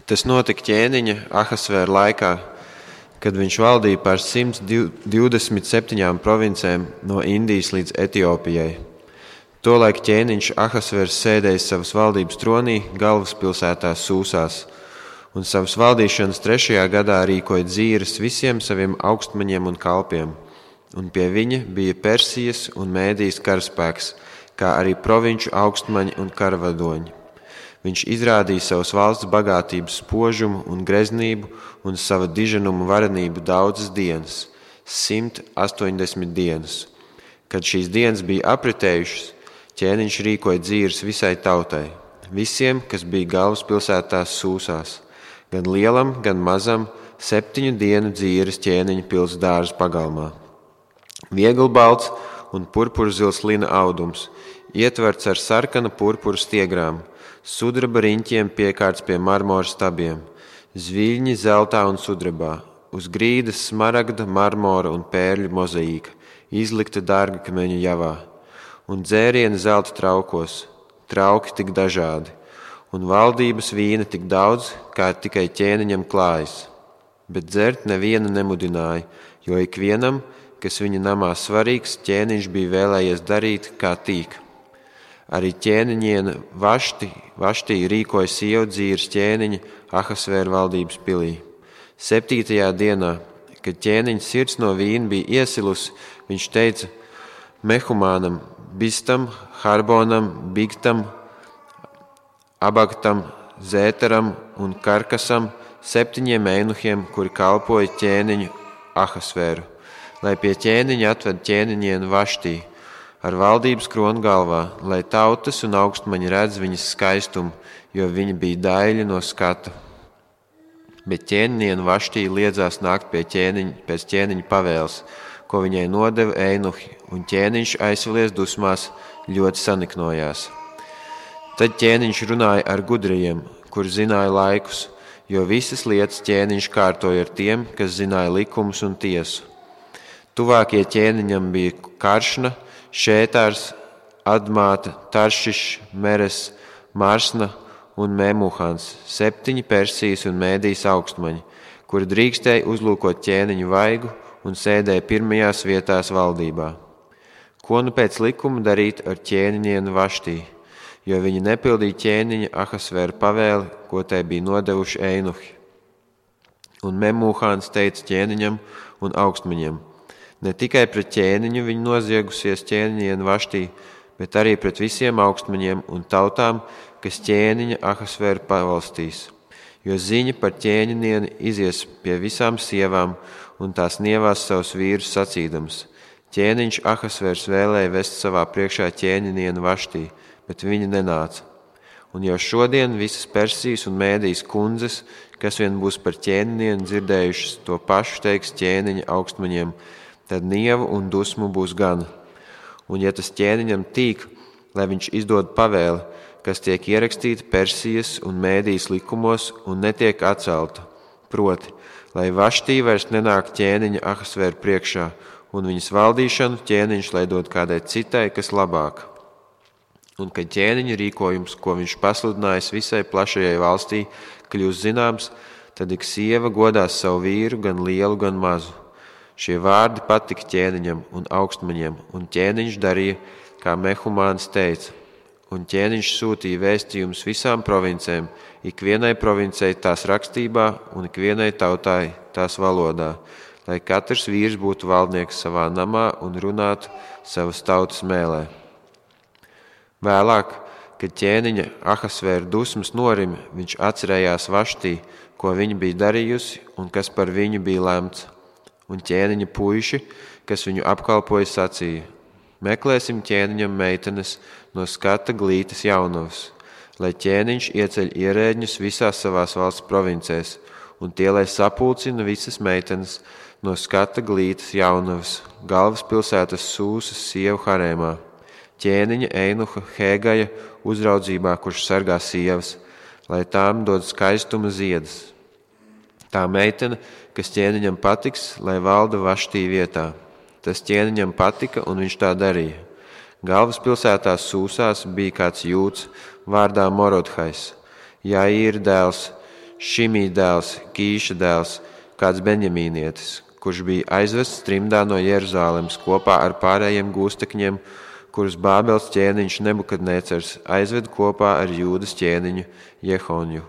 Tas notika ķēniņa Ahasvēra laikā, kad viņš valdīja pār 127 provincēm no Indijas līdz Etiopijai. Tolaik ķēniņš Ahasvērs sēdēja savas valdības tronī galvaspilsētā Sūsās, un savas valdīšanas 3. gadā rīkoja dzīres visiem saviem augstmaņiem un kalpiem, un pie viņa bija Persijas un Mēdijas karaspēks, kā arī provinču augstmaņi un karavadoņi. Viņš izrādīja savas valsts bagātības spožumu un greznību un sava diženumu varenību daudzas dienas, 180 dienas. Kad šīs dienas bija apritējušas, ķēniņš rīkoja dzīres visai tautai, visiem, kas bija galvaspilsētās Sūsās, gan lielam, gan mazam, 7 dienu dzīres ķēniņa pils dārza pagalmā. Vieglbalts un purpurzils lina audums, ietverts ar sarkana purpura stiegrām, sudraba riņķiem piekārts pie marmora stabiem, zviļņi zeltā un sudrabā, uz grīdas smaragda, marmora un pērļu mozaīka, izlikta dārgakmeņu javā, un dzērieni zelta traukos, trauki tik dažādi, un valdības vīna tik daudz, kā tikai ķēniņam klājas. Bet dzert neviena nemudināja, jo ikvienam, kas viņa namā svarīgs, ķēniņš bija vēlējies darīt, kā tīk. Arī ķēniņiena Vaštī rīkoja sievu dzīres ķēniņa Ahasvēra valdības pilī. 7. dienā, kad ķēniņa sirds no vīna bija iesilusi, viņš teica Mehumānam, Bistam, Harbonam, Bigtam, Abagtam, Zētaram un Karkasam, 7 einuhiem, kuri kalpoja ķēniņu Ahasvēru, lai pie ķēniņa atved ķēniņienu Vaštī, ar valdības kronu galvā, lai tautas un augstmaņi redz viņas skaistumu, jo viņa bija daļa no skata. Bet ķēniņiena Vaštī liedzās nākt pēc ķēniņa pavēles, ko viņai nodeva einuhi, un ķēniņš aizvilies dusmās ļoti saniknojās. Tad ķēniņš runāja ar gudrajiem, kur zināja laikus, jo visas lietas ķēniņš kārtoja ar tiem, kas zināja likumus un tiesu. Tuvākie ķēniņam bija Karšna, Šētārs, Admāta, Taršišs, Meres, Marsna un Memuhans, 7 Persijas un Mēdijas augstmaņi, kuri drīkstēja uzlūkot ķēniņu vaigu un sēdēja pirmajās vietās valdībā. Ko nu pēc likuma darīt ar ķēniņienu Vaštī, jo viņi nepildīja ķēniņa Ahasvēra pavēli, ko tai bija nodevuši einuhi. Un Memuhans teica ķēniņam un augstmaņiem: ne tikai pret ķēniņu viņa noziegusies ķēniņienu Vaštī, bet arī pret visiem augstmaņiem un tautām, kas ķēniņa Ahasvēru pavalstīs. Jo ziņa par ķēniņieni izies pie visām sievām un tās nievās savus vīrus sacīdams: ķēniņš Ahasvērs vēlēja vest savā priekšā ķēniņienu Vaštī, bet viņa nenāca. Un jau šodien visas Persijas un Mēdijas kundzes, kas vien būs par ķēniņienu dzirdējušas, to pašu teiks ķēniņa augstmaņiem, tad nievu un dusmu būs gana. Un ja tas ķēniņam tīk, lai viņš izdod pavēli, kas tiek ierakstīta Persijas un Mēdijas likumos un netiek atcelta, proti, lai Vaštī vairs nenāk ķēniņa Ahasvēra priekšā, un viņas valdīšanu ķēniņš lai dod kādai citai, kas labāk. Un kad ķēniņa rīkojums, ko viņš pasludinājis visai plašajai valstī, kļūs zināms, tad ik sieva godās savu vīru, gan lielu, gan mazu. Šie vārdi patika ķēniņam un augstmaņiem, un ķēniņš darīja, kā Mehumāns teica. Un ķēniņš sūtīja vēstījumus visām provincēm, ikvienai provincei tās rakstībā un ikvienai tautai tās valodā, lai katrs vīrs būtu valdnieks savā namā un runātu savas tautas mēlē. Vēlāk, kad ķēniņa Ahasvēra dusmas norima, viņš atcerējās Vaštī, ko viņa bija darījusi un kas par viņu bija lemts. Un ķēniņa puiši, kas viņu apkalpoja, sacīja: meklēsim ķēniņam meitenes no skata glītas jaunavas, lai ķēniņš ieceļ ierēģņus visās savās valsts provincēs, un tie, lai sapulcina visas meitenes no skata glītas jaunavas, galvaspilsētas Sūsas sievu harēmā, ķēniņa einuha Hēgaja uzraudzībā, kurš sargā sievas, lai tām dod skaistuma ziedas. Tā meitene, kas ķēniņam patiks, lai valda Vaštī vietā. Tas ķēniņam patika, un viņš tā darīja. Galvaspilsētās Sūsās bija kāds jūds vārdā Morodhais, Jaīra dēls, Šimī dēls, Kīša dēls, kāds benjamīnietis, kurš bija aizvests trimdā no Jeruzālemes kopā ar pārējiem gūstekņiem, kurus Bābels ķēniņš Nebukadnecars aizved kopā ar Jūdas ķēniņu Jehonju.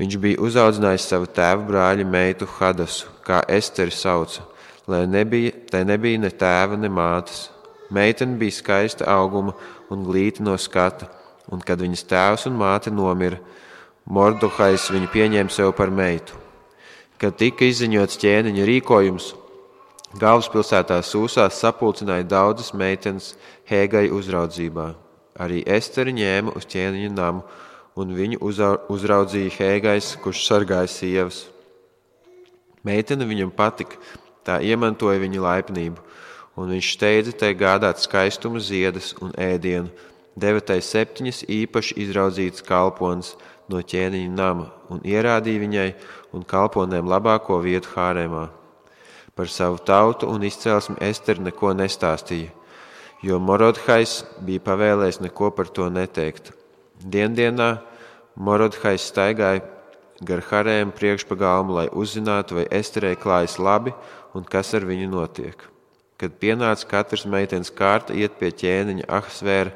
Viņš bija uzaudzinājis savu tēva brāļa meitu Hadasu, kā Esteri sauca, lai nebija ne tēva, ne mātes. Meitene bija skaista auguma un glīta no skata, un kad viņas tēvs un māte nomira, Mordohais viņu pieņēma sev par meitu. Kad tika izziņots ķēniņa rīkojums, galvaspilsētā Sūsā sapulcināja daudzas meitenes Hēgai uzraudzībā. Arī Esteri ņēma uz ķēniņa namu, un viņu uzraudzīja Hēgais, kurš sargāja sievas. Meitene viņam patika, tā iemantoja viņa laipnību, un viņš steidza tai gādāt skaistuma ziedas un ēdienu, deva tai 7 īpaši izraudzītas kalpones no ķēniņa nama un ierādīja viņai un kalponēm labāko vietu hārēmā. Par savu tautu un izcelsmi Esteri neko nestāstīja, jo Morodhais bija pavēlējis neko par to neteikt. Diendienā Morodhais staigāja gar harēmu priekšpagalmu, lai uzzinātu, vai Esterei klājas labi un kas ar viņu notiek. Kad pienāca katras meitenes kārta iet pie ķēniņa Ahasvēra,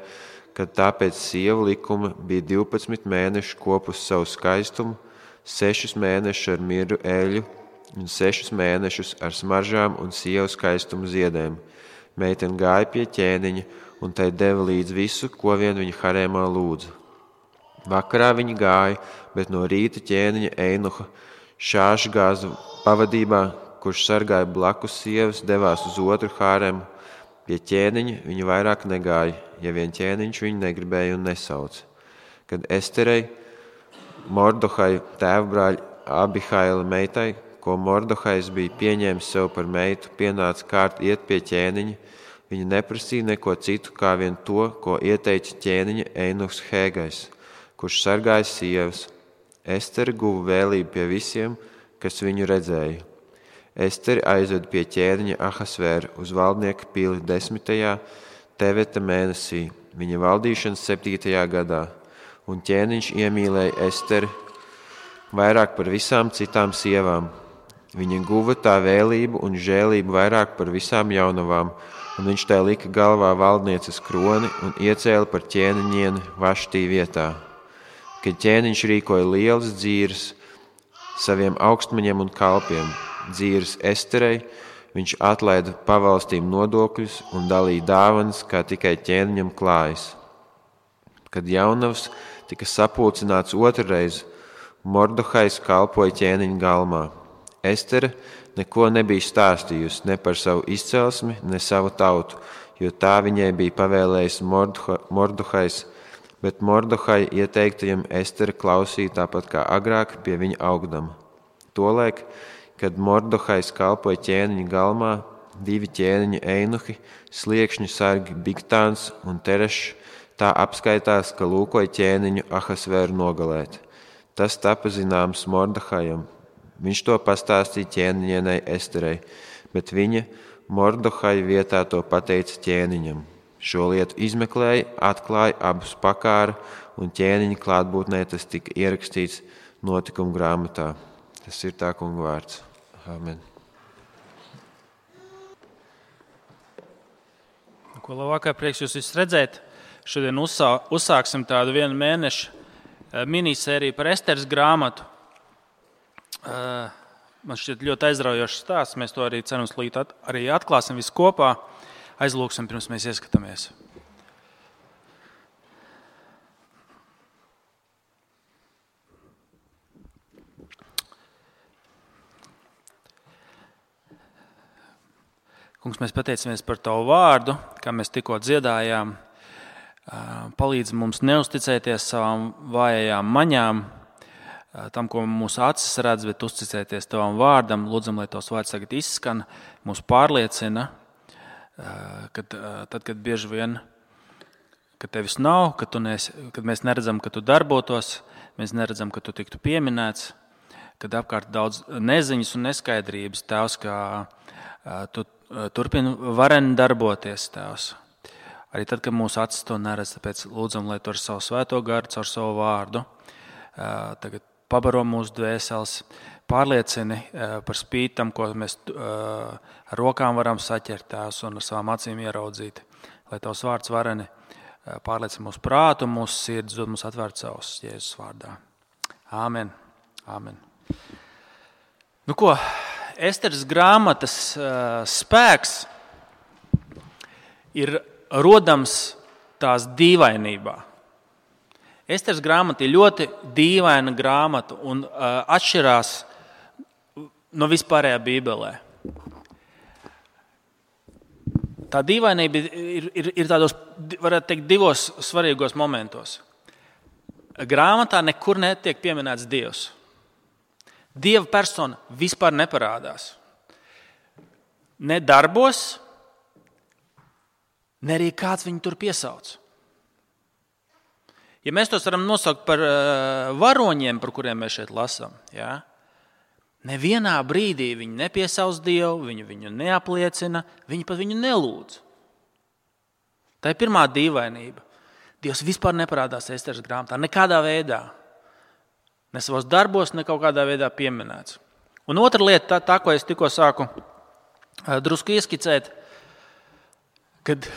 kad tāpēc sievu likuma bija 12 mēnešu kopus savu skaistumu, 6 mēnešus ar miru eļu un 6 mēnešus ar smaržām un sievu skaistumu ziedēm. Meitene gāja pie ķēniņa un tai deva līdz visu, ko vien viņa harēmā lūdza. Vakarā viņa gāja, bet no rīta ķēniņa Einuha Šāšgāza pavadībā, kurš sargāja blakus sievas, devās uz otru hāremu. Pie ķēniņa viņa vairāk negāja, ja vien ķēniņš viņu negribēja un nesauca. Kad Esterei, Mordohai tēvbrāļa Abihaila meitai, ko Mordohais bija pieņēmis sev par meitu, pienāca kārt iet pie ķēniņa, viņa neprasīja neko citu, kā vien to, ko ieteica ķēniņa Einuhs Hēgais, kurš sargāja sievas. Esteri guva vēlību pie visiem, kas viņu redzēja. Esteri aizved pie ķēniņa Ahasvēra uz valdnieka pili 10. Teveta mēnesī, viņa valdīšanas 7. gadā, un ķēniņš iemīlēja Esteri vairāk par visām citām sievām. Viņa guva tā vēlību un žēlību vairāk par visām jaunavām, un viņš tai lika galvā valdnieces kroni un iecēla par ķēniņieni Vaštī vietā. Kad ķēniņš rīkoja lielas dzīres saviem augstmaņiem un kalpiem, dzīves Esterei, viņš atlaida pavalstīm nodokļus un dalīja dāvanas, kā tikai ķēniņam klājas. Kad jaunavs tika sapulcināts otrreiz, Mordohais kalpoja ķēniņa galmā. Estere neko nebija stāstījusi ne par savu izcelsmi, ne savu tautu, jo tā viņai bija pavēlējis Mordohais, bet Mordohai ieteiktajam Estere klausīja tāpat kā agrāk pie viņa augdama. Tolaik, kad Mordohais kalpoja ķēniņa galmā, 2 ķēniņa Einuhi, sliekšņu sargi Bigtāns un Terešs, tā apskaitās, ka lūkoja ķēniņu Ahasvēru nogalēt. Tas tapa zināms Mordohajam. Viņš to pastāstīja ķēniņienei Esterei, bet viņa Mordohai vietā to pateica ķēniņam. Šo lietu izmeklēja, atklāja abus pakāra, un ķēniņa klātbūtnē tas tika ierakstīts notikumu grāmatā. Tas ir tā kunga vārds. Amen. Ko labākā prieks jūs visus redzēt. Šodien uzsāksim tādu 1 mēnešu minisēriju par Esteres grāmatu. Man šķiet ļoti aizraujošs stāsts. Mēs to arī cerams arī atklāsim visu kopā. Aizlūksim, pirms mēs ieskatāmies. Kungs, mēs pateicamies par Tavu vārdu, kā mēs tikko dziedājām. Palīdz mums neusticēties savām vājajām maņām, tam, ko mūsu acis redz, bet uzticēties Tavam vārdam. Lūdzam, lai Tavs vārds tagad izskan, mūs pārliecina, kad bieži vien, kad Tevis nav, kad mēs neredzam, ka Tu darbotos, mēs neredzam, ka Tu tiktu pieminēts, kad apkārt daudz neziņas un neskaidrības, Tēvs, kā Tu turpini vareni darboties, Tēvs. Arī tad, kad mūsu acis to neredz, tāpēc lūdzam, lai Tu ar savu svēto garu, caur savu vārdu tagad pabaro mūsu dvēseles, pārliecini par spīti tam, ko mēs ar rokām varam saķert Tēvs un ar savām acīm ieraudzīt. Lai Tavs vārds vareni pārliecina mūsu prātu un mūsu sirdis, dod mums atvērt savus Jēzus vārdā. Āmen. Āmen. Nu ko, Esteres grāmatas spēks ir rodams tās dīvainībā. Esteres grāmata ir ļoti dīvaina grāmata un atšķirās no vispārējā Bībelē. Tā dīvainība ir tādos, varētu teikt, divos svarīgos momentos. Grāmatā nekur netiek pieminēts Dievs. Dieva persona vispār neparādās. Ne darbos, ne arī kāds viņu tur piesauc. Ja mēs tos varam nosaukt par varoņiem, par kuriem mēs šeit lasām, ja? Nevienā brīdī viņi nepiesauc Dievu, viņu neapliecina, viņi pat viņu nelūdz. Tā ir pirmā dīvainība. Dievs vispār neparādās Esteres grāmatā, nekādā veidā. Ne savos darbos, ne kaut kādā veidā pieminēts. Un otra lieta, tā ko es tikko sāku drusku ieskicēt, kad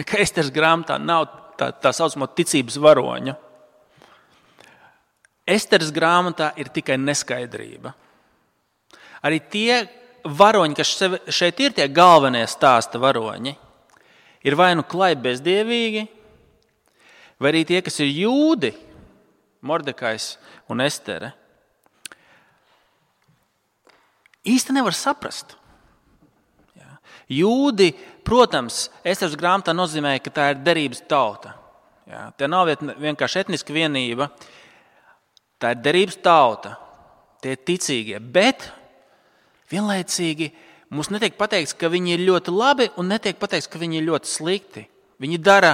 ka Esteres grāmatā nav tā saucamo ticības varoņa. Esteres grāmatā ir tikai neskaidrība. Arī tie varoņi, kas šeit ir tie galvenie stāsta varoņi, ir vai nu klaipi bezdievīgi, vai arī tie, kas ir jūdi, Mordekais un Estere, īsti nevar saprast. Jūdi, protams, Esteres grāmatā nozīmē, ka tā ir derības tauta. Tā nav vienkārši etniska vienība, tā ir derības tauta, tie ir ticīgie, bet vienlaicīgi mums netiek pateikts, ka viņi ir ļoti labi un netiek pateikts, ka viņi ir ļoti slikti. Viņi dara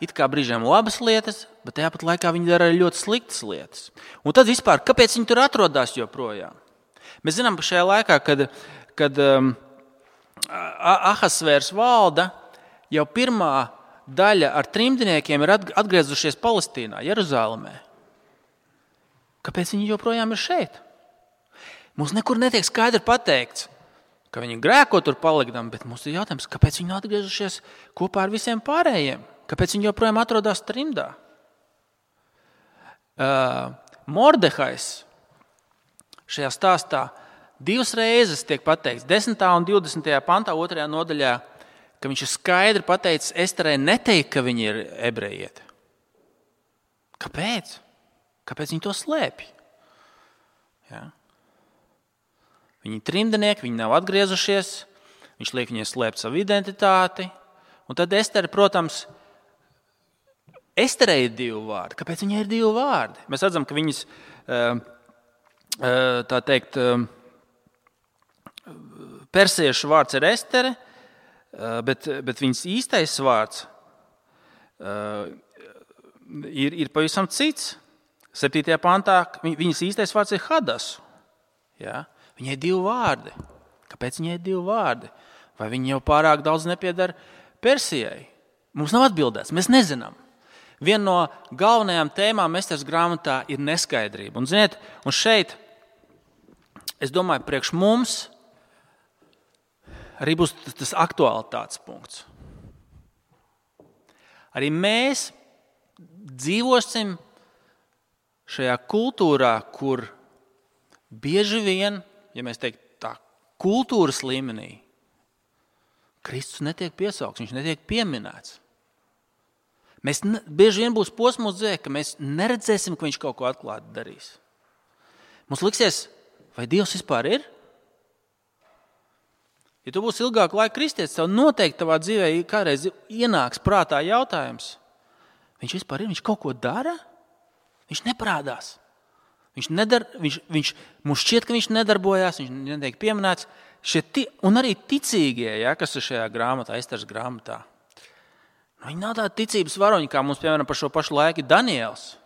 it kā brīžiem labas lietas, bet tāpat laikā viņi dara ļoti sliktas lietas. Un tad vispār, kāpēc viņi tur atrodas joprojām? Mēs zinām, ka šajā laikā, kad Ahasvērs valda, jau pirmā daļa ar trimdniekiem ir atgriezušies Palestīnā, Jeruzālēmē. Kāpēc viņi joprojām ir šeit? Mums nekur netiek skaidri pateikts, ka viņi grēko tur palikdam, bet mums ir jautājums, kāpēc viņi nav atgriezušies kopā ar visiem pārējiem? Kāpēc viņi joprojām atrodas trimdā? Mordehais šajā stāstā divas reizes tiek pateikts, 10. un 20. pantā, 2. nodaļā, ka viņš ir skaidri pateicis Esterei neteikt, ka viņi ir ebrejieti. Kāpēc? Kāpēc viņi to slēpj? Ja? Viņi ir trimdnieki, viņi nav atgriezušies, viņš liek viņai slēpt savu identitāti. Un tad Estere, protams, Esterei ir 2 vārdi. Kāpēc viņai ir 2 vārdi? Mēs redzam, ka viņas, tā teikt, persiešu vārds ir Estere, bet viņas īstais vārds ir pavisam cits. 7. pantā viņas īstais vārds ir Hadas. Ja? Viņai 2 vārdi. Kāpēc viņai 2 vārdi? Vai viņi jau pārāk daudz nepiedara Persijai? Mums nav atbildēts, mēs nezinām. Viena no galvenajām tēmām Esteres grāmatā ir neskaidrība. Un, ziniet, un šeit, es domāju, priekš mums arī būs tas aktualitātes punkts. Arī mēs dzīvosim šajā kultūrā, kur bieži vien, ja mēs teiktu tā, kultūras līmenī, Kristus netiek piesaukts, viņš netiek pieminēts. Bieži vien būs posms dzīvē, ka mēs neredzēsim, ka viņš kaut ko atklāti darīs. Mums liksies, vai Dievs vispār ir? Ja tu būsi ilgāku laiku kristietis, tev noteikti tavā dzīvē kādreiz ienāks prātā jautājums. Viņš vispār ir? Viņš kaut ko dara? Viņš neparādās. Mums šķiet, ka viņš nedarbojās, viņš netiek pieminēts. Un arī ticīgie, ja, kas ir šajā grāmatā, Esteres grāmatā. Viņi nav tādi ticības varoņi, kā mums, piemēram, par šo pašu laiku ir Daniels.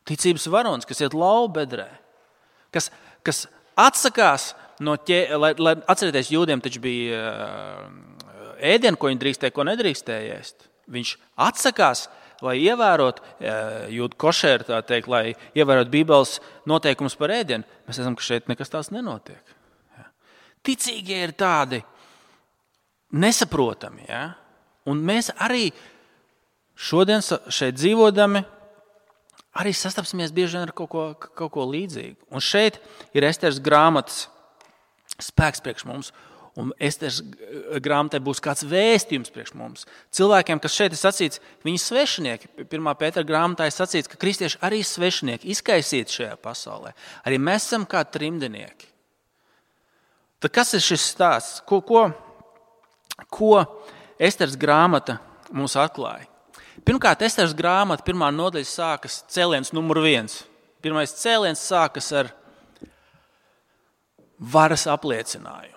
Ticības varonis, kas iet laubedrē, kas atsakās no lai atcerieties, jūdiem taču bija ēdienu, ko viņi drīkstēja, ko nedrīkstēja ēst. Viņš atsakās, lai ievērotu jūdu košēru, tā teikt, lai ievērotu Bībeles noteikumus par ēdienu, mēs redzam, ka šeit nekas tās nenotiek. Ja? Ticīgie ir tādi nesaprotami. Ja? Un mēs arī šodien šeit dzīvodami arī sastapsimies bieži vien ar kaut ko līdzīgu. Un šeit ir Esteras grāmatas spēks priekš mums. Un Esteras grāmatai būs kāds vēstījums priekš mums. Cilvēkiem, kas šeit ir sacīts, viņi svešinieki. 1. Pētera grāmatā ir sacīts, ka kristieši arī svešinieki, izkaisīti šajā pasaulē. Arī mēs esam kā trimdinieki. Tad kas ir šis stāsts? Ko Esteras grāmata mums atklāja? Pirmkārt, Esteras grāmata, 1. nodaļa sākas cēliens numur 1. Pirmais cēliens sākas ar varas apliecinājumu.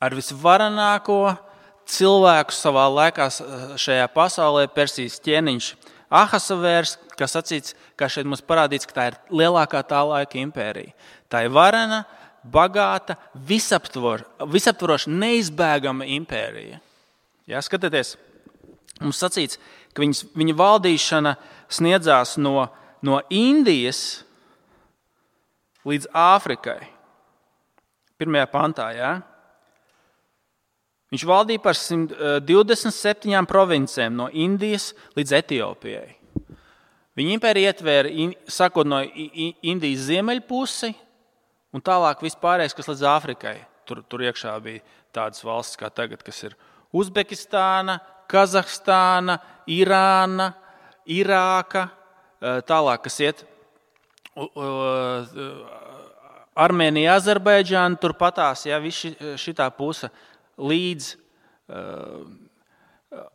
Ar visvarenāko cilvēku savā laikā šajā pasaulē, Persijas ķēniņš Ahasvērs, kas sacīts, kā šeit mums parādīts, ka tā ir lielākā tā laika impērija. Tā ir varena, bagāta, visaptvaroša, neizbēgama impērija. Jā, skatieties, mums sacīts, ka viņa valdīšana sniedzās no Indijas līdz Āfrikai. 1. pantā, jā. Viņš valdīja par 127 provincēm no Indijas līdz Etiopijai. Viņa impērija ietvēra, sakot no Indijas ziemeļpusi un tālāk vispārējais, kas līdz Āfrikai. Tur iekšā bija tādas valstis kā tagad, kas ir Uzbekistāna, Kazahstāna, Irāna, Irāka, tālāk, kas iet Armēnija, Azerbaidžāna, turpatās, ja, visi šitā puse līdz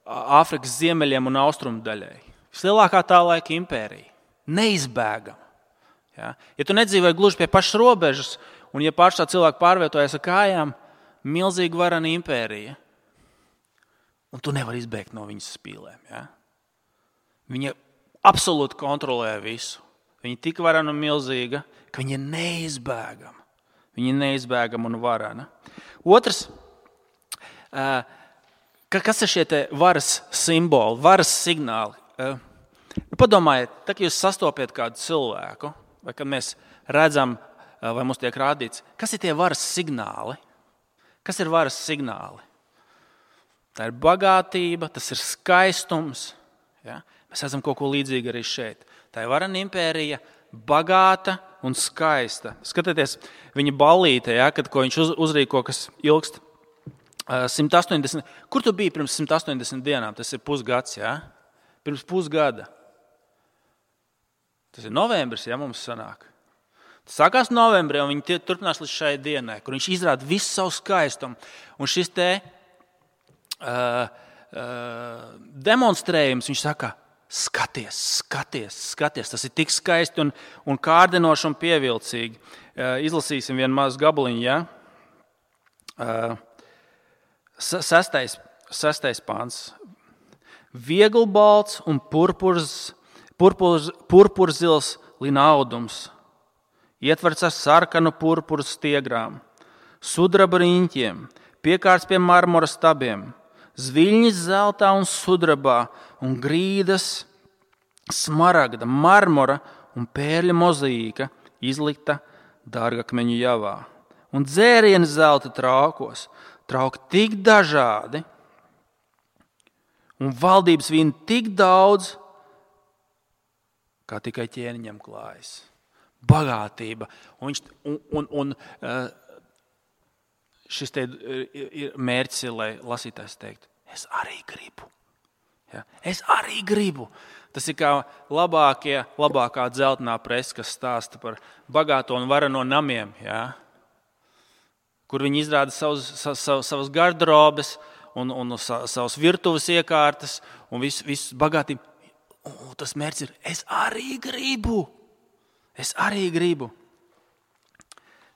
Āfrikas ziemeļiem un austrumu daļai. Vislielākā tā laika impērija. Neizbēgama. Ja? Ja tu nedzīvoji gluži pie pašas robežas, un ja pašā cilvēku pārvietojas ar kājām, milzīga varana impērija. Un tu nevari izbēgt no viņas spīlēm. Ja? Viņa absolūti kontrolē visu. Viņa tik varana un milzīga, ka viņa ir neizbēgama. Viņa ir neizbēgama un varana. Otrs, kas ir šie varas simboli, varas signāli? Padomājiet, tad, kad jūs sastopiet kādu cilvēku, vai kad mēs redzam, vai mums tiek rādīts, kas ir tie varas signāli? Kas ir varas signāli? Tā ir bagātība, tas ir skaistums. Ja? Mēs redzam kaut ko līdzīgu arī šeit. Tā ir varana impērija, bagāta un skaista. Skatieties, viņa ballīte, ja, kad ko viņš uzrīko, kas ilgst 180. Kur tu biji pirms 180 dienām? Tas ir pusgads, ja? Pirms pusgada. Tas ir novembris, ja mums sanāk. Tas sākās novembrī, un viņi turpinās līdz šai dienai, kur viņš izrāda visu savu skaistumu. Un šis demonstrējums, viņš saka, skaties, tas ir tik skaisti un kārdinoši un pievilcīgi. Izlasīsim vienu mazu gabaliņu, ja? 6. pāns. Vieglbalts un purpurzils linaudums, ietverts ar sarkanu purpuru stiegrām, sudraba riņķiem, piekārts pie marmora stabiem, zviļņas zeltā un sudrabā un grīdas smaragda, marmora un pērļa mozaīka izlikta dārgakmeņu javā. Un dzērieni zelta traukos, trauki tik dažādi un valdības vīna tik daudz, kā tikai ķēniņam klājas. Bagātība. Un šis mērķis ir, lai lasītājs teiktu, es arī gribu. Ja? Es arī gribu. Tas ir kā labākā dzeltenā presa, kas stāsta par bagāto un varano namiem, ja? Kur viņi izrāda savas garderobes un savas virtuves iekārtas un visu bagātību. Un tas mērķis ir, es arī gribu.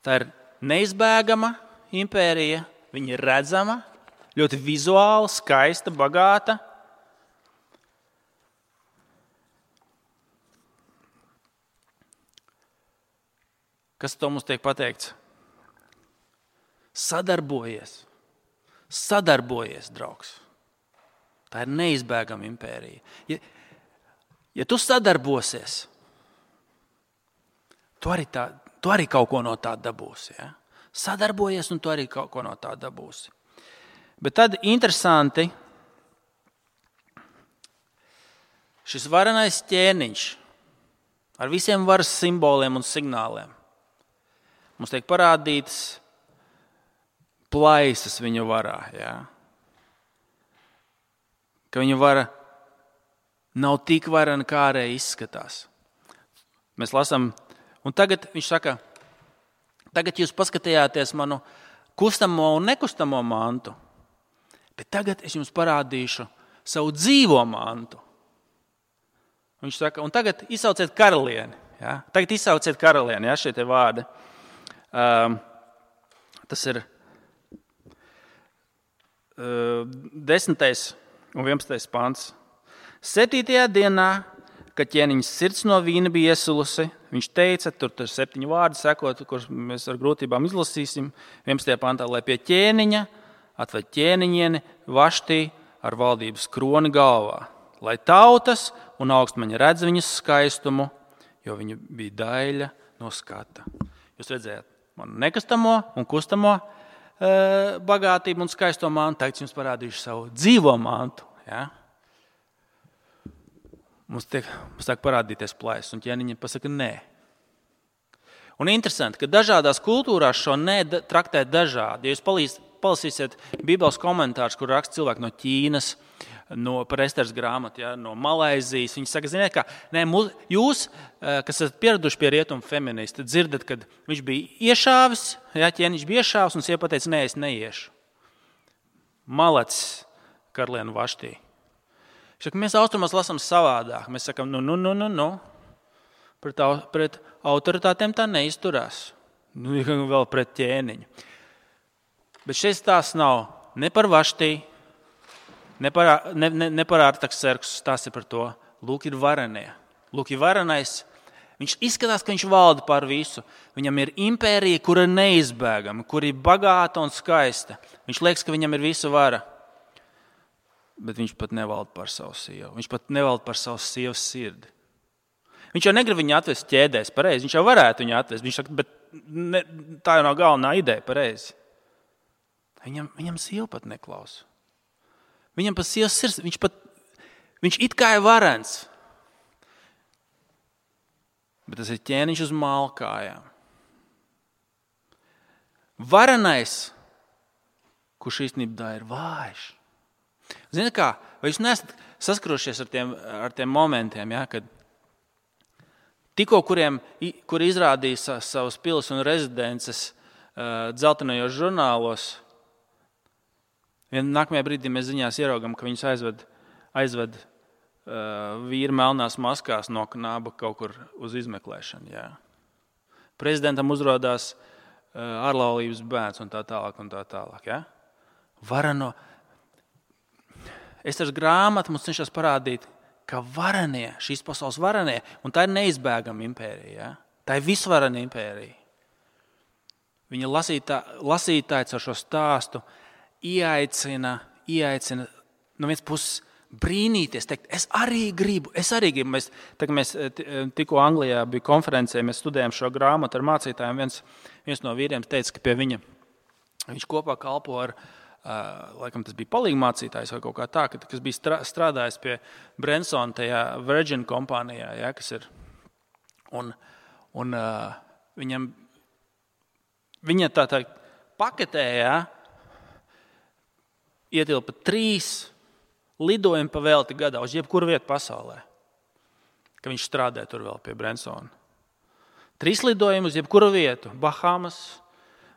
Tā ir neizbēgama impērija, viņa ir redzama, ļoti vizuāli, skaista, bagāta. Kas to mums tiek pateikts? Sadarbojies, draugs. Tā ir neizbēgama impērija. Ja tu sadarbosies, tu arī kaut ko no tā dabūsi. Ja? Sadarbojies, un tu arī kaut ko no tā dabūsi. Bet tad interesanti, šis varenais ķēniņš ar visiem varas simboliem un signāliem mums tiek parādītas plaisas viņa varā. Ja? Ka viņa vara nav tik varena, kā arī izskatās. Mēs lasām, un tagad viņš saka, tagad jūs paskatījāties manu kustamo un nekustamo mantu, bet tagad es jums parādīšu savu dzīvo mantu. Viņš saka, un tagad izsauciet karalieni. Ja? Tagad izsauciet karalieni, ja, šie te vārdi. Tas ir 10. un 11. pants. 7. dienā, kad ķēniņa sirds no vīna bija iesulusi, viņš teica, tur 7 vārdi sekot, kurus mēs ar grūtībām izlasīsim, 11. pantā, lai pie ķēniņa atved ķēniņieni Vaštī ar valdības kroni galvā, lai tautas un augstmaņa redz viņas skaistumu, jo viņa bija daļa no skata. Jūs redzējāt manu nekustamo un kustamo bagātību un skaisto mantu, tagad jums parādīšu savu dzīvo mantu. Ja? Mums sāk parādīties plaisas, un ķēniņi pasaka nē. Un interesanti, ka dažādās kultūrās šo nē traktē dažādi. Ja jūs palasīsiet Bībeles komentārus, kur raksta cilvēki no Ķīnas, par Esteras grāmatu, ja, no Malaizijas, viņi saka, ziniet kā, nē, jūs, kas esat pieraduši pie rietumu feministi, dzirdat, kad viņš bija iešāvis, ja, ķēniņš bija iešāvis, un sieva pateica, nē, es neiešu. Malacis karalieni Vaštī. Mēs austrumos lasām savādāk. Mēs sakām, pret autoritātiem tā neizturās. Vēl pret ķēniņu. Bet šeit tās nav ne par Vaštī, ne par Artaxerksu, tās ir par to. Lūk, ir varenie. Lūk, ir varenais. Viņš izskatās, ka viņš valda pār visu. Viņam ir impērija, kura ir neizbēgama, kura ir bagāta un skaista. Viņš liekas, ka viņam ir visa vara. Bet viņš pat nevalda par savu sievu. Viņš pat nevalda par savu sievas sirdi. Viņš jau negrib viņu atvest ķēdēs pareizi. Viņš jau varētu viņu atvest. Viņš saka, bet tā jau nav galvenā ideja pareizi. Viņam sieva pat neklausa. Viņam pat sievas sirds. Viņš it kā ir varens. Bet tas ir ķēniņš uz malkājām. Varenais, kurš īstenībā ir vājš. Ziniet kā, vai jūs neesat saskarošies ar tiem momentiem, ja, kad tikko, kuri izrādīja savus pilis un rezidences dzeltenajos žurnālos, nākamajā brīdī mēs ziņās ieraugam, ka viņus aizved vīri melnās maskās no knaba kaut kur uz izmeklēšanu. Ja. Prezidentam uzrādās ārlaulības bērns un tā tālāk. Ja. Varano. Esteras grāmata mums cenšas parādīt, ka varenie, šīs pasaules varenie, un tā ir neizbēgama impērija. Ja? Tā ir visvarena impērija. Viņa lasītāji ar šo stāstu ieaicina no vienas puses brīnīties, teikt, es arī gribu. Mēs tikko Anglijā bija konferencē, mēs studējām šo grāmatu ar mācītājiem. Viens no vīriem teica, ka pie viņš kopā kalpo ar laikam tas bija palīgmācītājs vai kaut kā tā, kas bija strādājis pie Bransona tajā Virgin kompānijā, ja, kas ir. Un viņa tā paketē, ja, ietilpa 3 lidojumi pa velti gadā uz jebkuru vietu pasaulē, ka viņš strādē tur vēl pie Bransona. 3 lidojumi uz jebkuru vietu, Bahamas,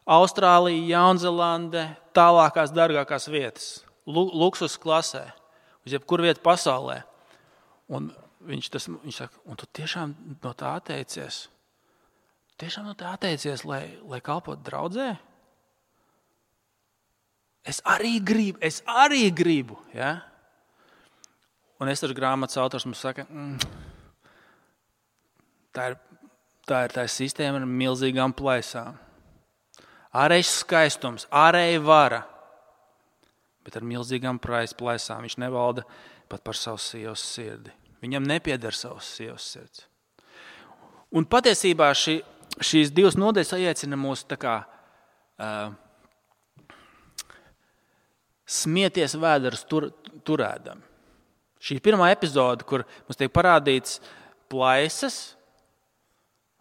Austrālija, Jaunzelande, tālākās, dārgākās vietas, luksus klasē, uz jebkuru vietu pasaulē. Un viņš saka, un tu tiešām no tā atteicies? Tiešām no tā atteicies, lai kalpot draudzē? Es arī gribu. Ja? Un Esteras grāmatas autors mums saka, tā ir sistēma ar milzīgām plaisām. Ārējais skaistums, ārēja vara, bet ar milzīgām plaisām. Viņš nevalda pat par savu sievas sirdi. Viņam nepieder savas sievas sirds. Un patiesībā šīs divas nodaļas aicina mūs tā kā smieties vēderus turēdami. Šī pirmā epizode, kur mums tiek parādīts plaisas,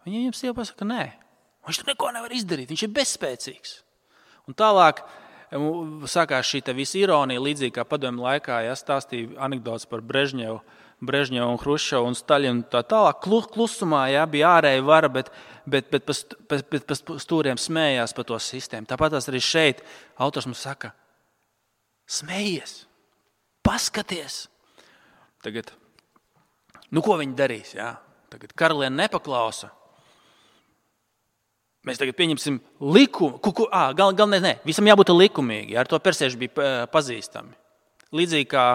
viņam sieva pasaka, nē, viņš tur neko nevar izdarīt, viņš ir bezspēcīgs. Un tālāk sākās šī visa ironija, līdzīgi kā padomju laikā, stāstīja anekdotes par Brežņevu un Hruščovu un Staļinu un tā tālāk. Klusumā bija ārēja vara, bet pa stūriem smējās par to sistēmu. Tāpat arī šeit autors mums saka, smējies, paskaties. Tagad, ko viņi darīs? Jā? Tagad karaliene nepaklausa. Mēs tagad pieņemsim likumu. Galvenais, visam jābūt likumīgi. Ar to persieši bija pazīstami. Līdzīgi kā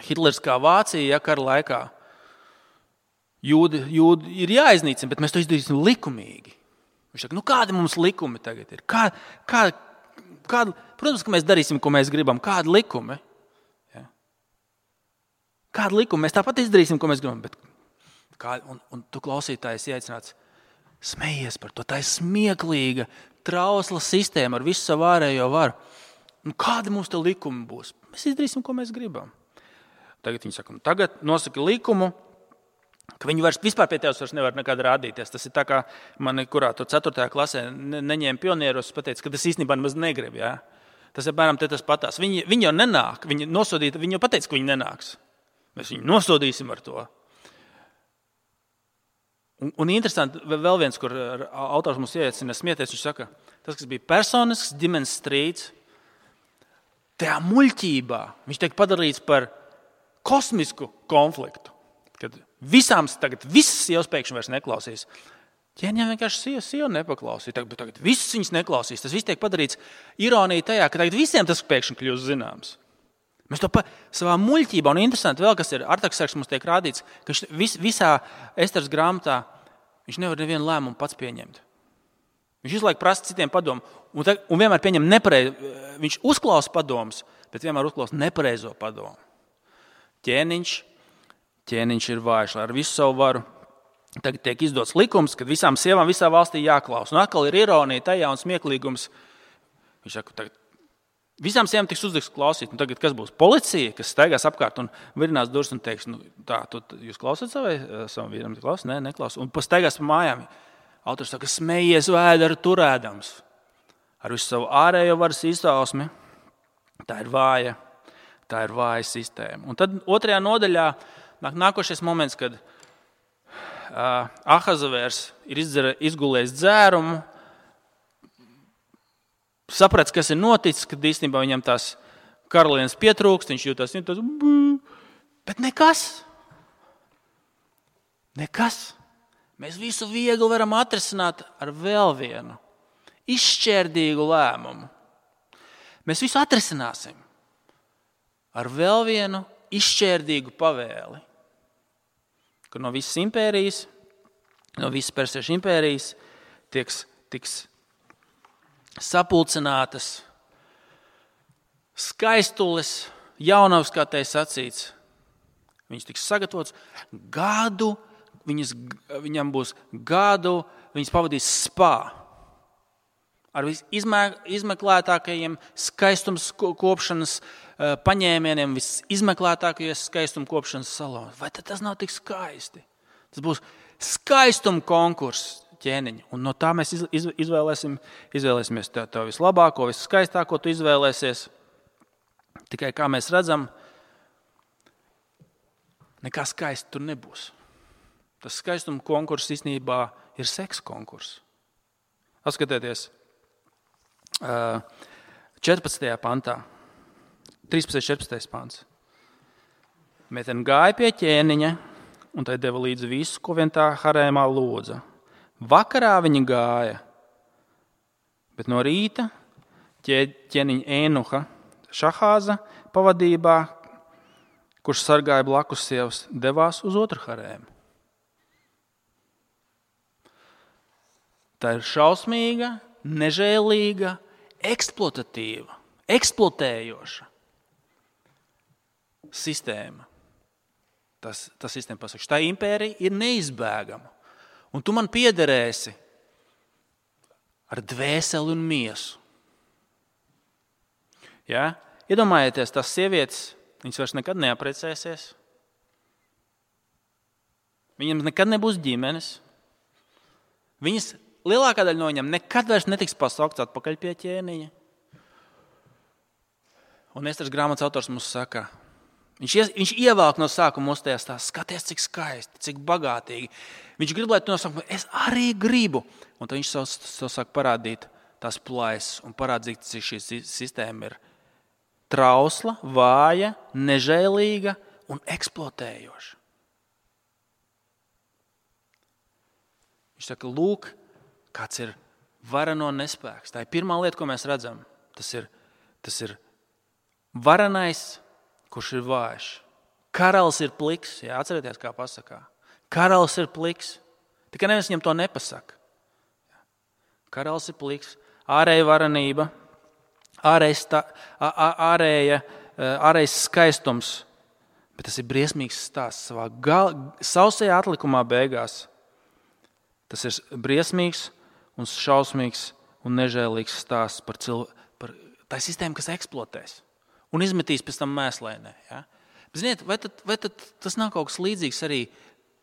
Hitleriskā Vācija, kara laikā. Jūdi ir jāiznīcina, bet mēs to izdarīsim likumīgi. Viņš saka, kādi mums likumi tagad ir? Protams, ka mēs darīsim, ko mēs gribam. Kādi likumi? Kāda likuma? Mēs tāpat izdarīsim, ko mēs gribam. Un tu klausītājs ieaicināts, smējies par to. Tā ir smieklīga, trausla sistēma ar visu savu ārējo varu. Kādi mums te likumi būs? Mēs izdarīsim, ko mēs gribam. Tagad viņi saka, tagad nosaka likumu, ka viņi vispār pie tevis nevar nekad rādīties. Tas ir tā, kā mani, kurā tur 4. klasē neņēma pionieros, pateica, ka tas īstenībā nemaz negrib. Jā? Tas ir bērnam tas patās. Viņi jau nenāk, viņi jau pateica, ka viņi nenāks. Mēs viņu nosodīsim ar to. Un interesanti, vēl viens, kur autors mums ieaicina smieties, viņš saka, tas, kas bija personisks ģimenes strīds, tajā muļķībā viņš tiek padarīts par kosmisku konfliktu. Kad visas sievas pēkšņi vairs neklausīs. Ķēniņam vienkārši sieva nepaklausīja, tagad visas viņas neklausīs. Tas viss tiek padarīts ironija tajā, ka tagad visiem tas pēkšņi kļūst zināms. Mēs to savā muļķībā, un interesanti vēl, kas ir Artaksargs mums tiek rādīts, ka visā Esteras grāmatā viņš nevar nevienu lēmumu pats pieņemt. Viņš visu laiku prasa citiem padomu, un vienmēr pieņem viņš uzklausa padomus, bet vienmēr uzklausa nepareizo padomu. Ķēniņš ir vājš, lai ar visu savu varu. Tagad tiek izdots likums, ka visām sievām visā valstī jāklausa. Un atkal ir ironija tajā un smieklīgums. Viņš saka, tagad visām sievām tiks uzlikts klausīt. Un tagad kas būs? Policija, kas staigās apkārt un virinās durvis un teiks, jūs klausat savam vīram? Nē, neklausat. Un pastaigās pa mājām. Autors saka, smējies vēderu turēdams. Ar visu savu ārējo varas izpausmi. Tā ir vāja sistēma. Un tad 2. nodaļā nākošais moments, kad Ahazavērs ir izgulējis dzērumu, saprats, kas ir noticis, kad īstenībā viņam tās karalienes pietrūkst, viņš jūtas, bet nekas. Mēs visu viegli varam atrisināt ar vēl vienu izšķērdīgu lēmumu. Mēs visu atrisināsim ar vēl vienu izšķērdīgu pavēli, ka no visas impērijas, no visas persiešu impērijas tiks sapulcinātas skaistules, jaunavas, kā te sacīts. Viņas tiks sagatavotas gadu, viņam būs gadu, viņas pavadīs spā. Ar visizmeklētākajiem skaistums kopšanas paņēmieniem, visizmeklētākajiem skaistuma kopšanas salonā. Vai tas nav tik skaisti? Tas būs skaistuma konkurss ķēniņa. Un no tā mēs izvēlēsimies to vislabāko, viskaistāko tu izvēlēsies. Tikai kā mēs redzam, nekā skaisti tur nebūs. Tas skaistuma konkurss īstenībā ir seksa konkurss. Atskatieties 14. pantā, 13.14. pants. Meitene gāja pie ķēniņa un tai deva līdzi visu, ko vien tā harēmā lūdza. Vakarā viņa gāja, bet no rīta ķēniņa Ēnuha Šahāza pavadībā, kurš sargāja blakus sievas, devās uz otru harēmu. Tā ir šausmīga, nežēlīga, eksploatatīva, eksploatējoša sistēma. Tas sistēma pasaka, tā impērija ir neizbēgama. Un tu man piederēsi ar dvēseli un miesu. Ja? Iedomājieties, tās sievietes, viņas vairs nekad neaprecēsies. Viņam nekad nebūs ģimenes. Viņas, lielākā daļa no viņam nekad vairs netiks pasaukts atpakaļ pie ķēniņa. Un Esteras grāmatas autors mums saka, viņš ievelk no sākuma mūs tajā stāstā, skaties, cik skaisti, cik bagātīgi. Viņš grib, lai tu nosaka, es arī gribu. Un tad viņš savu sāk parādīt tās plaisas un parādīt, cik šī sistēma ir trausla, vāja, nežēlīga un eksploatējoša. Viņš saka, lūk, kāds ir varano nespēks. Tā ir pirmā lieta, ko mēs redzam. Tas ir varanais, kurš ir vājš. Karalis ir pliks. Jā, atcerieties, kā pasakā. Karalis ir pliks. Tikai neviens viņam to nepasaka. Karalis ir pliks. Ārēja varanība, ārējais skaistums. Bet tas ir briesmīgs stāsts. Savā sausajā atlikumā beigās. Tas ir briesmīgs un šausmīgs un nežēlīgs stāsts par tā sistēmu, kas eksploatēs un izmetīs pēc tam mēslēnē. Ja? Bet, ziniet, vai tad tas nav kaut kas līdzīgs arī,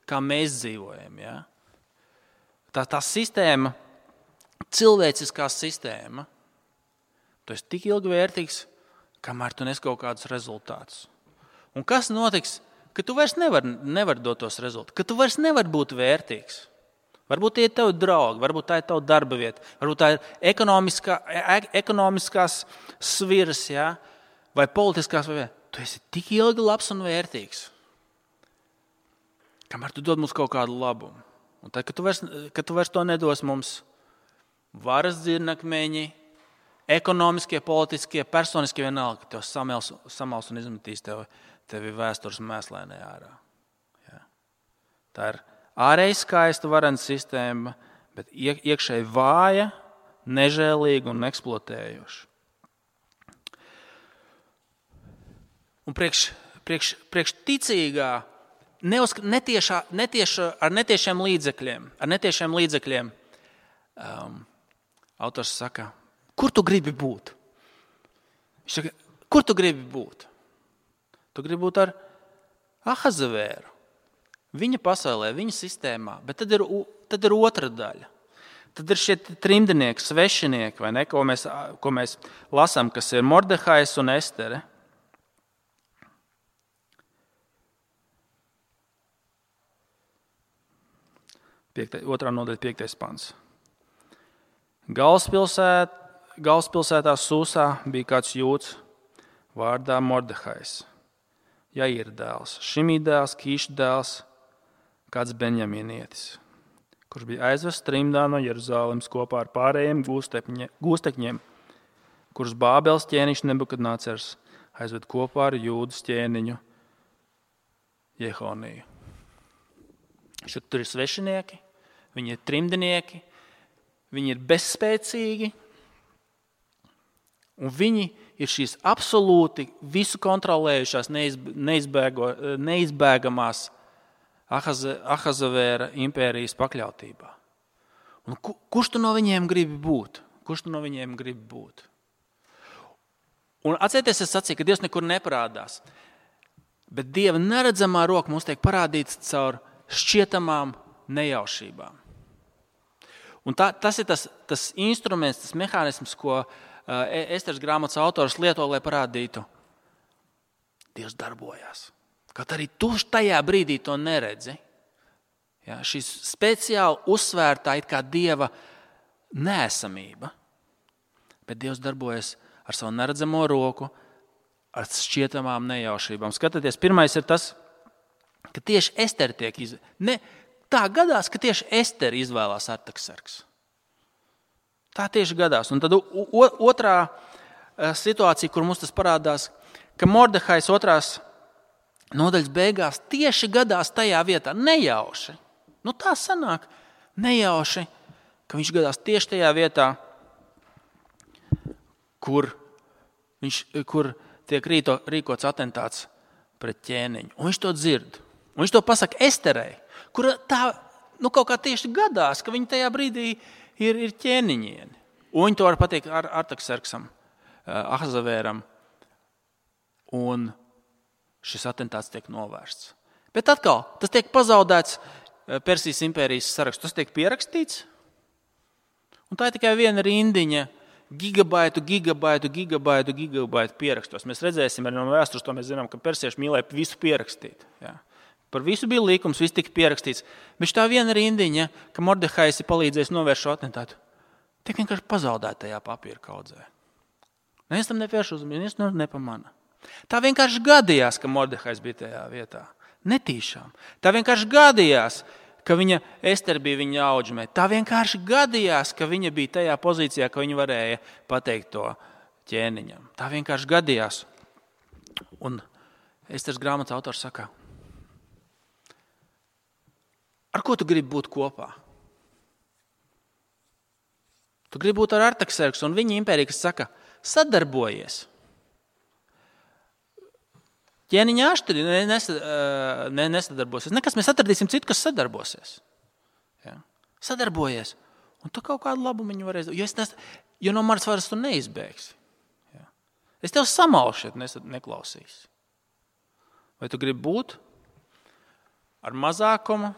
kā mēs dzīvojam? Ja? Tā sistēma, cilvēciskā sistēma, tu esi tik ilgi vērtīgs, kamēr tu nes kaut kādus rezultātus. Un kas notiks, ka tu vairs nevar dot tos rezultātus, ka tu vairs nevar būt vērtīgs? Varbūt tie ir tavi draugi, varbūt tā ir tava darba vieta, varbūt tā ir ekonomiskās sviras, ja? Vai politiskās vai tu esi tik ilgi labs un vērtīgs, kamēr tu dod mums kaut kādu labumu. Un tad, kad tu vairs to nedos mums, varas dzirnakmeņi, ekonomiskie, politiskie, personiskie vienalga, ka tev samals un izmetīs tevi vēstures mēslēnē ārā. Ja? Tā ir ārēji skaista varena sistēma, bet iekšēji vāja, nežēlīga un eksploatējoša. Un priekš ticīgā, ar netiešiem līdzekļiem, autors saka, kur tu gribi būt? Viņš saka, kur tu gribi būt? Tu gribi būt ar Ahazavēru. Viņa pasaulē, viņa sistēmā, bet tad ir otra daļa. Tad ir šie trimdinieki, svešinieki, vai ne, ko mēs lasām, kas ir Mordehais un Estere. Otrā nodaļa, 5. pants. Galvaspilsētā Sūsā bija kāds jūds vārdā Mordehais, Jaira dēls, Šimī dēls, Kīša dēls, kāds Benjamīnietis, kurš bija aizvests trimdā no Jeruzālemes kopā ar pārējiem gūstekņiem, kurus Bābeles ķēniņš Nebukadnecars aizved kopā ar Jūdas ķēniņu Jehoniju. Tur ir svešinieki, viņi ir trimdinieki, viņi ir bezspēcīgi, un viņi ir šīs absolūti visu kontrolējušās, neizbēgamās Ahazavēra impērijas pakļautībā. Un kurš tu no viņiem gribi būt? Un atcerieties, es sacīju, ka Dievs nekur neparādās, bet Dieva neredzamā roka mums tiek parādīts caur šķietamām nejaušībām. Un tas ir tas instruments, tas mehānisms, ko Esteras grāmatas autors lieto, lai parādītu, Dievs darbojās. Kaut arī tu tajā brīdī to neredzi. Ja, šis speciāli uzsvērtā it kā Dieva neesamība, bet Dievs darbojas ar savu neredzamo roku, ar šķietamām nejaušībām. Skatieties, pirmais ir tas, ka tieši Esteri tiek tā gadās, ka tieši Esteri izvēlās Artaksarks. Tā tieši gadās. Un tad otrā situācija, kur mums tas parādās, ka Mordehais 2. nodaļas beigās tieši gadās tajā vietā, nejauši. Tā sanāk, nejauši, ka viņš gadās tieši tajā vietā, kur tiek rīkots atentāts pret ķēniņu. Un viņš to dzird. Un viņš to pasaka Esterei, kura tā kaut kā tieši gadās, ka viņa tajā brīdī ir ķēniņieni. Un viņi to var pateikt Artaxerksam, Ahasvēram. Un šis atentāts tiek novērsts. Bet atkal, tas tiek pazaudēts Persijas impērijas sarakstu. Tas tiek pierakstīts. Un tā ir tikai viena rindiņa gigabaitu pierakstos. Mēs redzēsim arī no vēstures, to mēs zinām, ka persieši mīlēja visu pierakstīt. Jā. Par visu bija līkums, viss tika pierakstīts. Bet tā viena rindiņa, ka Mordehais ir palīdzējis novērst šo atentātu, tiek vienkārši pazaudēta tajā papīra kaudzē. Neviens tam nepievērš uzmanību, neviens to nepamana. Tā vienkārši gadījās, ka Mordehais bija tajā vietā. Netīšām. Tā vienkārši gadījās, ka Ester bija viņa audžmē. Tā vienkārši gadījās, ka viņa bija tajā pozīcijā, ka viņa varēja pateikt to ķēniņam. Tā vienkārši gadījās. Un Esteras grāmatas autors saka, ar ko tu gribi būt kopā? Tu gribi būt ar Artaxerksu un viņa impēriju, kas saka, sadarbojies. Ķēniņa aštri nesadarbosies. Nekas, mēs atradīsim citu, kas sadarbosies. Ja? Sadarbojies. Un tu kaut kādu labumu viņu varēsi. Jo no manas varas tu neizbēgsi. Ja? Es tev samalšu, ja neklausīsi. Vai tu gribi būt ar mazākumu,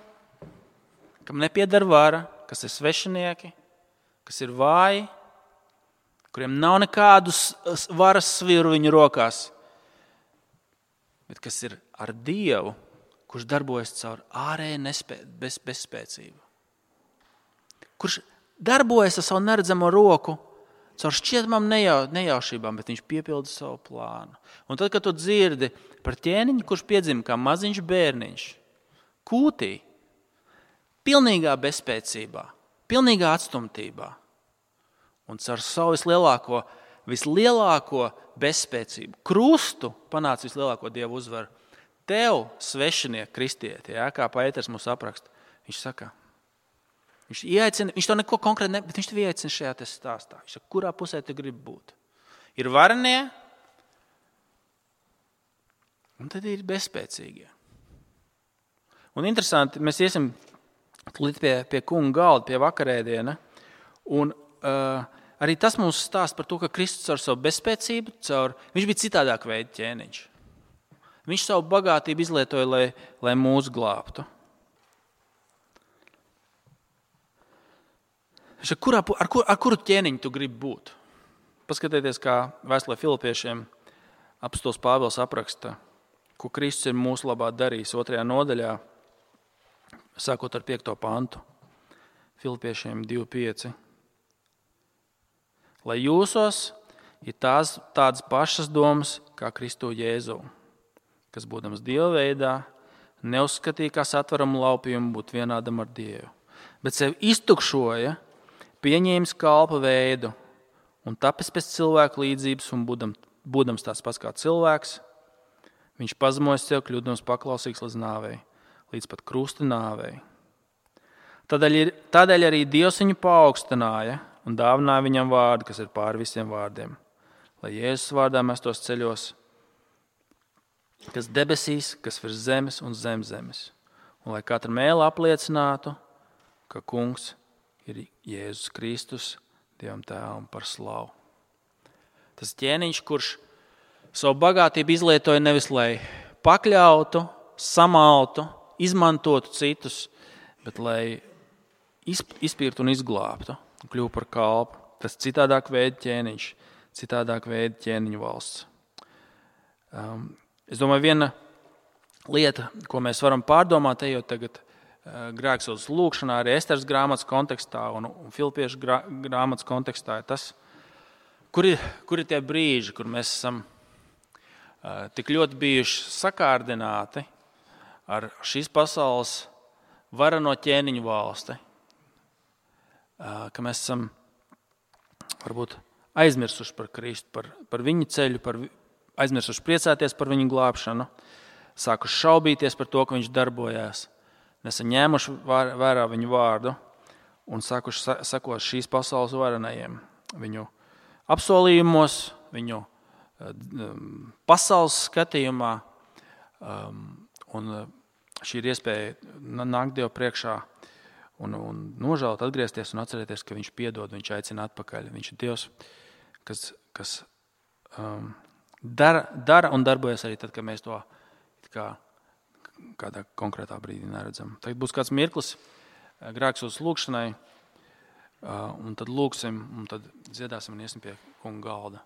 kam nepieder vara, kas ir svešinieki, kas ir vāji, kuriem nav nekādu varas sviru viņu rokās, bet kas ir ar Dievu, kurš darbojas caur ārēju bezspēcību. Kurš darbojas ar savu neredzamo roku, caur šķietamām nejaušībām, bet viņš piepilda savu plānu. Un tad, kad tu dzirdi par ķēniņu, kurš piedzima kā maziņš bērniņš, kūtī, pilnīgā bezspēcībā, pilnīgā atstumtībā, un caur savu vislielāko bezspēcību, krustu panāca vislielāko Dievu uzvaru. Tev, svešinieki, kristieti, kā Pēters mums apraksta, viņš saka, viņš to neko konkrēti bet viņš tev ieaicina šajā stāstā. Viņš saka, kurā pusē tu gribi būt? Ir varenie, un tad ir bezspēcīgie. Un interesanti, mēs iesim pie kunga galda, pie vakarēdiena, un arī tas mums stāsta par to, ka Kristus ar savu bezspēcību, viņš bija citādāk veida ķēniņš. Viņš savu bagātību izlietoja, lai mūs glābtu. Ar kuru ķēniņu tu gribi būt? Paskatieties, kā vēstulē Filipiešiem apostols Pāvils apraksta, ko Kristus ir mūsu labā darījis 2. nodaļā, sākot ar 5. pantu. Filipiešiem 2.5. Lai jūsos ir tādas pašas domas kā Kristu Jēzu, kas būdams Dieva veidā, neuzskatīja kā satveramu laupījumu būt vienādam ar Dievu, bet sevi iztukšoja, pieņēmis kalpa veidu un tapis pēc cilvēku līdzības un būdams tāds pats kā cilvēks, viņš pazemojas sev, kļūdams paklausīgs līdz nāvei, līdz pat krusta nāvei. Tādēļ arī Dievs viņu paaugstināja un dāvināja viņam vārdu, kas ir pāri visiem vārdiem, lai Jēzus vārdā mestos ceļos, kas debesīs, kas virs zemes un zem zemes, un lai katra mēle apliecinātu, ka kungs ir Jēzus Kristus, Dievam Tēvam par slavu. Tas ķēniņš, kurš savu bagātību izlietoja nevis, lai pakļautu, samaltu, izmantotu citus, bet lai izpirktu un izglābtu. Kļuva par kalpu. Tas citādāk veida ķēniņš, citādāk veida ķēniņu valsts. Es domāju, viena lieta, ko mēs varam pārdomāt, ejot tagad grēksūdzes lūkšanā, arī Esteras grāmatas kontekstā un Filipiešu grāmatas kontekstā, ir tas, kur ir tie brīži, kur mēs esam tik ļoti bijuši sakārdināti ar šīs pasaules varano ķēniņu valsti, ka mēs esam varbūt aizmirsuši par Kristu, par viņa ceļu, aizmirsuši priecāties par viņa glābšanu, sākuši šaubīties par to, ka viņš darbojās, nesaņēmuši vērā viņu vārdu un sākuši sekot šīs pasaules varenajiem, viņu apsolījumos, viņu pasaules skatījumā. Un šī ir iespēja nākt Dievu priekšā un nožēlot, atgriezties un atcerēties, ka viņš piedod, viņš aicina atpakaļ. Viņš ir Dievs, kas dara un darbojas arī tad, kad mēs to kādā konkrētā brīdī neredzam. Tagad būs kāds mirklis grēksūdzes lūkšanai, un tad lūksim, un tad dziedāsim un iesim pie kunga galda.